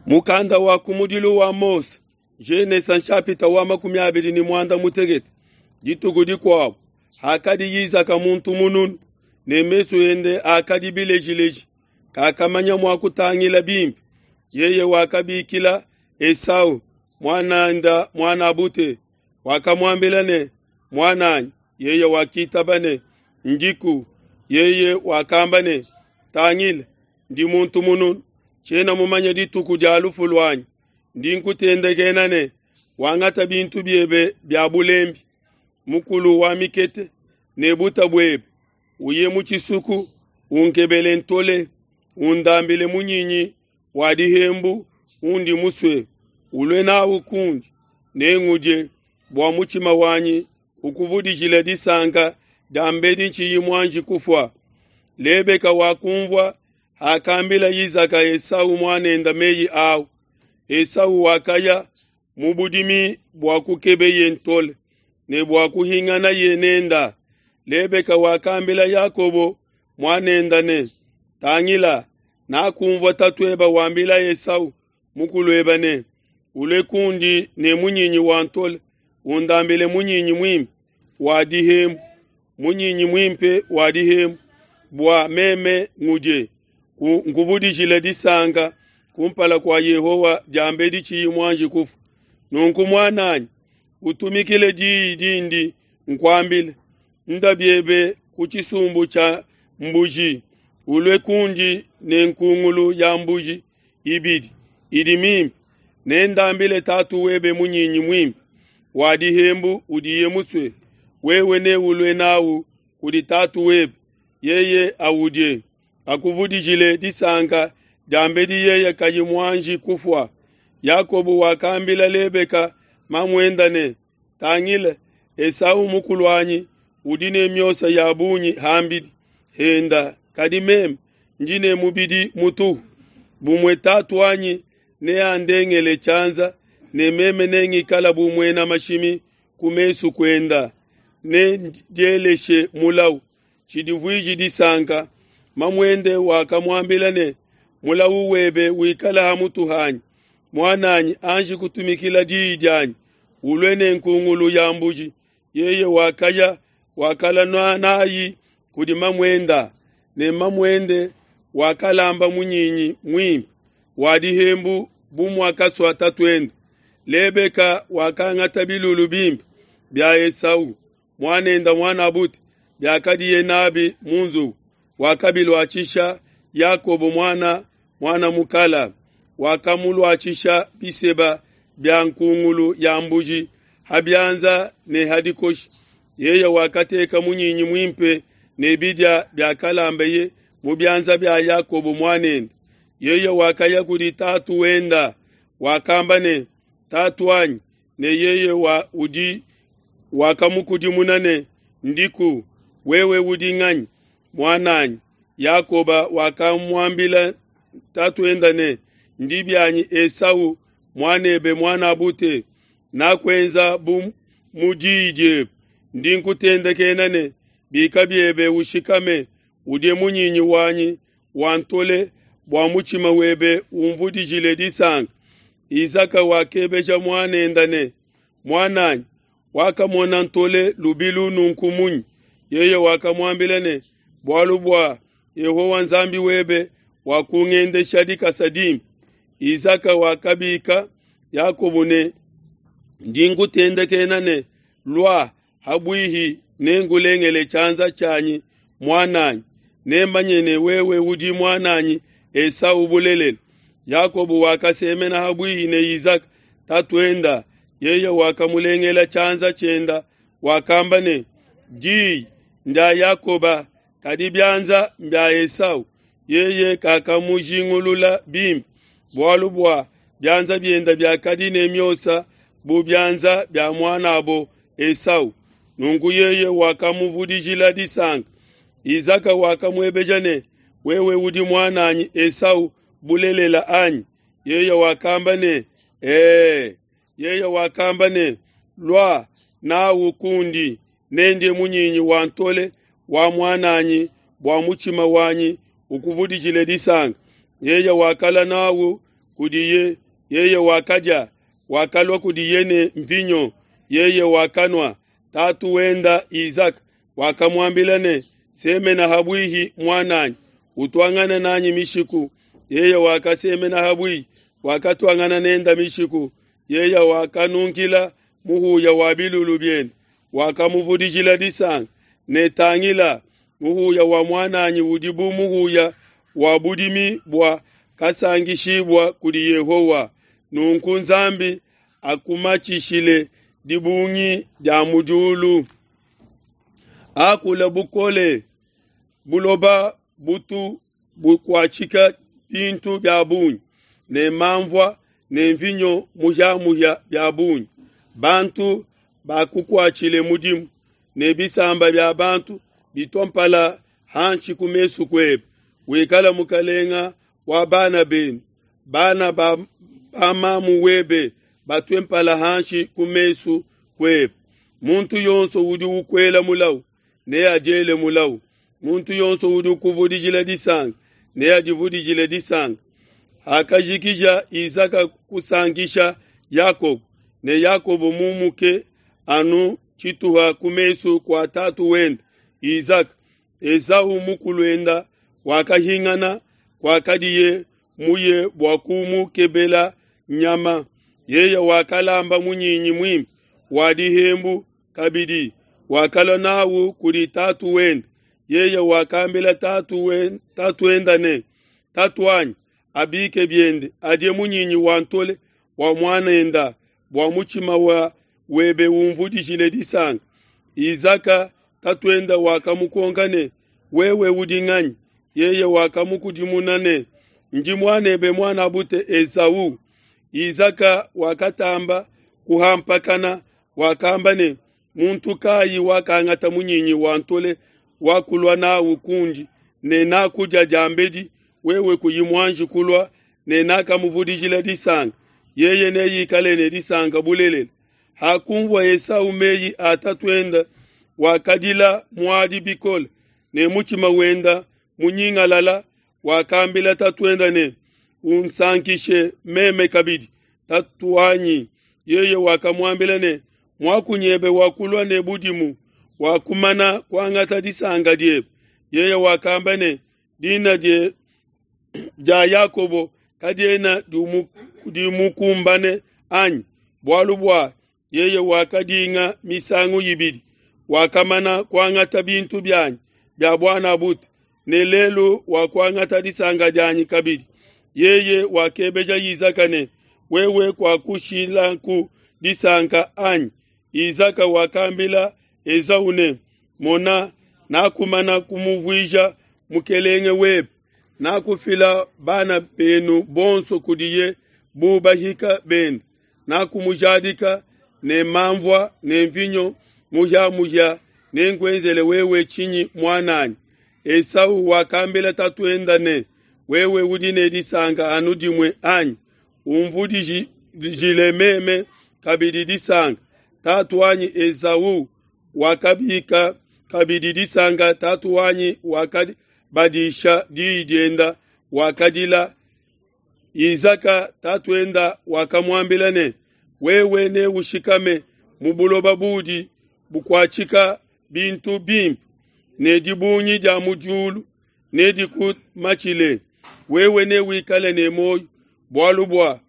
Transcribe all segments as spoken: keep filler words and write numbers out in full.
Mukanda wa kumudilu wa Mose, Genesa nshapita wa makumi abidi ne muanda mutekete. Dituku dikuabu hakadi Isaka muntu mununu ne mesu ende akadi bilejileji, kakamanya mua kutangila bimpe. Yeye wakabikila Esau muananda muanabute, wakamuambila ne, muananyi. Yeye wakitaba ne, ndiku. Yeye wakamba ne, tangila, ndi muntu mununu, tshiena mumanye dituku dia lufu luanyi. Ndi nkutendekena ne, wangata bintu biebe bia bulembi, mukulu wa mikete ne buta buebe, uye mu tshisuku, unkebele ntole, undambile munyinyi wa dihembu undi musue, ulue nawu kundi, nengudie, bua mutshima wanyi ukuvudijile disanka diambedi ntshiyi muanji kufua. Lebeka wakumvua hakambila Isaka Esau muanende meyi awu. Esau wakaya mu budimi bua kukebeye ntole ne bua kuhinganaye nenda. Lebeka wakambila Yakobo muanende ne, tangila, nakumvua tatueba wambila Esau mukulueba ne, ulue kundi ne munyinyi wa ntole, undambile munyinyi muimpe wa dihembu, munyinyi muimpe wa dihembu, bua meme ngudie, nkuvudijile disanka kumpala kua Yehowa diambedi tshiyi muanji kufua. Nunku muananyi, utumikile diyi dindi nkuambila, nda biebe ku tshisumbu tshia mbuji, ulue kundi ne nkungulu ya mbuji ibidi idi mimpe, nendambile tatu webe munyinyi muimpe wa dihembu udiye musue. Wewe neulue nawu kudi tatu webe, yeye awudie, akuvudijile disanka diambedi yeye kayi muanji kufua. Yakobo wakambila Lebeka mamuenda ne, tangila, Esau mukuluanyi udi ne miosa ya bungi hambidi henda, kadi meme ndi ne mubidi mutuhu. Bumue tatu wanyi neandengele tshianza, ne meme nengikala bu muena mashimi ku mesu kuenda, nendieleshe mulawu, tshidivuiji disanka. Mamuende wakamuambila ne, mulawu webe wikala ha mutu hanyi, muananyi, anji kutumikila diyi dianyi, ulue ne nkungulu ya mbuji. Yeye wakaya wakala nayi kudi mamuenda, ne mamuende wakalamba munyinyi muimpe wa dihembu bu muakasua tatuende. Lebeka wakangata bilulu bimpe bia Esau muanende muanabute biakadiye nabi mu nzubu, wakabiluatshisha Yakobo muana muana mukala, wakamuluatshisha biseba bia nkungulu ya mbuji ha bianza ne ha dikoshi. Yeye wakateka munyinyi muimpe ne bidia biakalambeye mu bianza bia Yakobo muanende. Yeye wakaya kudi tatu wenda, wakamba ne, tatu wanyi. Ne yeye wa udi wakamukudimuna ne, ndiku, wewe udi nganyi, muananyi? Yakoba wakamuambila tatuenda ne, ndi bianyi Esau muanebe muanabute, nakuenza bu mu diyi diebe. Ndi nkutendekena ne, bika biebe ushikame, udie munyinyi wanyi wa ntole, bua mutshima webe umvudijile disanka. Isaka wakebeja muanenda ne, muananyi, wakamona ntole lubilu nunku munyi? Yeye wakamuambila ne, bualu bua Yehowa Nzambi webe wakungendesha dikasa dimpe. Isaka wakabika Yakobo ne, ndi nkutendekena ne, lua habuihi nengulengele tshianza tshianyi muananyi, nemanye ne wewe udi muananyi Esau bulelela. Yakobo wakasemena habuihi ne Isaka tatuenda, yeye wakamulengela tshianza tshienda, wakamba ne, diyi ndia Yakoba, kadi bianza mbia Esau. Yeye kakamujingulula bimpe, bualu bua bianza bienda biakadi ne miosa bu bianza bia muanabo Esau. Nunku yeye wakamuvudijila disanka. Isaka wakamuebeja ne, wewe udi muananyi Esau bulelela anyi? Yeye wakamba ne, ee. Yeye wakamba ne, lua nawu kundi, nendie munyinyi wa ntole wa muananyi, bua mutshima wanyi ukuvudijile disanka. Yeye wakala nawu kudiye, yeye wakadia, wakalua kudiye ne mvinyo, yeye wakanua. Tatu wenda Izaka wakamuambila ne, semena habwihi mwananyi, utwangana nanyi mishiku. Yeye wakasemena habwihi, wakatwangana nenda mishiku. Yeye wakanunkila muhuya wa bilulu biende, wakamuvudijila disanga ne tangila muhuya wa mwananyi udi bu muhuya wa budimi bua kasangishibwa kudi Yehowa. Nunku Nzambi akumachishile dibungi dia mudiulu, akula bukole buloba butu bukuatshika bintu bia bungi ne mamvua ne mvinyo muhyamuhya bia bungi. Bantu bakukuatshile mudimu ne bisamba bia bantu bitompala hanshi ku mesu kuebe. Wikala mukalenga wa bana benu, bana ba, ba mamu webe batwe mpala hanshi ku mesu kuebe. Muntu yonso udi ukwela mulau neadiele mulau, muntu yonso udi ukuvudijila disanga neadivudijile disanga. Hakajikija Izaka kusankisha Yakobo, ne Yakobo mumuke anu tshituha ku mesu kua tatu wende Izaka, Esau mukuluenda wakahingana kwakadiye muye bua kumukebela nyama. Yeye wakalamba munyinyi mwimpe wa dihembu kabidi, wakalua nawu kudi tatu wende. Yeye wakambila tatu wende, tatu wenda ne, tatu wanyi abike biende adie munyinyi wa ntole wa mwanenda, bua mutshima wa webe umvudijile disanga. Izaka tatuenda wakamukonka ne, wewe udi nganyi? Yeye wakamukudimuna ne, ndi mwanebe mwanabute Esau. Izaka wakatamba kuhampakana, wakamba ne, muntu kayi wakangata munyinyi wa ntole wakulua nawu kundi ne nakudia diambedi, wewe kuyi muanji kulua ne nakamuvudijila disanga? Yeye neyikale ne disanka bulelela. Hakumvua Esau meyi a tatuenda, wakadila muadi bikole ne mutshima wenda munyingalala. Wakambila tatuenda ne, unsankishe meme kabidi tatu wanyi. Yeye wakamuambila ne, mwakunyebe wakulua ne budimu, wakumana kuangata disanga diebe. Yeye wakamba ne, dina die dia Yakobo kadiena dimukumbane anyi? Bualu bua yeye wakadinga misangu ibidi, wakamana kuangata bintu byanyi bya bwana bute, ne lelu wakuangata disanga dianyi kabidi. Yeye wakebeja Izaka ne, wewe kwakushilaku disanka anyi? Izaka wakambila Esau ne, mona, nakumana kumuvuija mukelenge webe, nakufila bana benu bonso kudiye bu bahika bende, nakumujadika ne mamvua ne mvinyo muhyamuhya, nenkuenzele wewe tshinyi mwananyi? Esau wakambila tatuenda ne, wewe udi ne disanka anu dimue anyi? Umvudijile meme kabidi disanka. Tatu wanyi Esau wakabika kabidi disanka, tatu wanyi wakabadisha diyi dienda, wakadila. Izaka tatuenda wakamuambila ne, wewe ne ushikame mu buloba budi bukuatshika bintu bimpe, ne dibungi dia mu diulu nedikumatshile. Wewe ne wikale ne moyo, bualu bua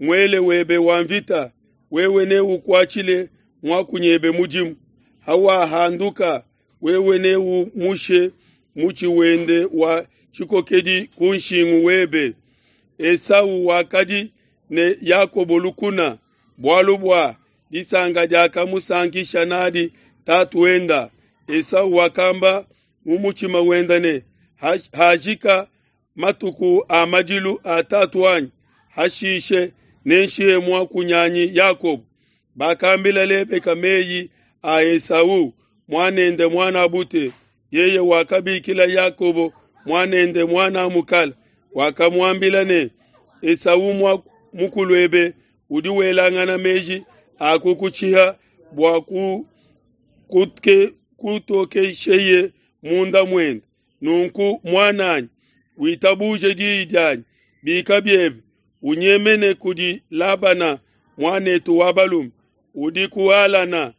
muele webe wa mvita, wewe ne ukuatshile mwakunyebe mudimu. Hawahanduka wewe ne umushe mutshi wende wa tshikokedi ku nshingu webe. Esau wakadi ne Yakobo lukuna, bualu bua disanga diakamusankisha nadi tatu wenda. Esau wakamba mu mutshima wenda ne, hajika matuku a madilu a tatu wanyi, hashishe nenshihe mwakunyanyi Yakobo. Bakambila Lebeka meyi a Esau mwanende mwana bute. Yeye wakabikila Yakobo mwanende mwana mukala, wakamuambila ne, Esau mukuluebe udi welangana meji akukutshiha bua ku kutke kutokesheye munda mwende. Nunku mwananyi, witabuje diyi dianyi, bika biebe, Unyemene kudi Labana muanetu wa balume udi ku Halana,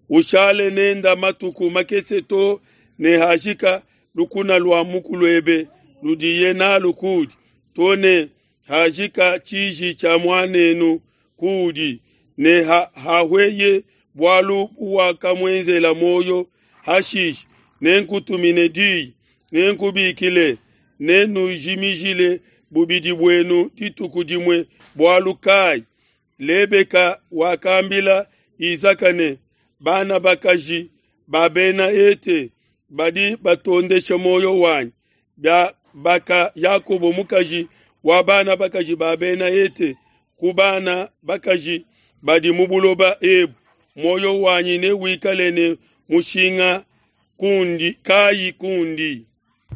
ushale nende matuku makese too ne hajika lukuna lua mukuluebe ludiye nalu kuudi, too ne hajika tshiji tshia muanenu kuudi, ne hahweye bualu buwakamuenzela muoyo. Hashishe nenkutumine diyi, nenkubikile, nenujimijile bubidi buenu dituku dimue bualu kayi? Lebeka wakambila Isaka ne, Bana bakaji ba Bena Hete badi batondesha muoyo wanyi. Biabaka Yakobo mukaji wa bana bakaji ba Bena Hete ku bana bakaji badi mu buloba ebu, muoyo wanyi newikale ne mushinga kundi kayi kundi?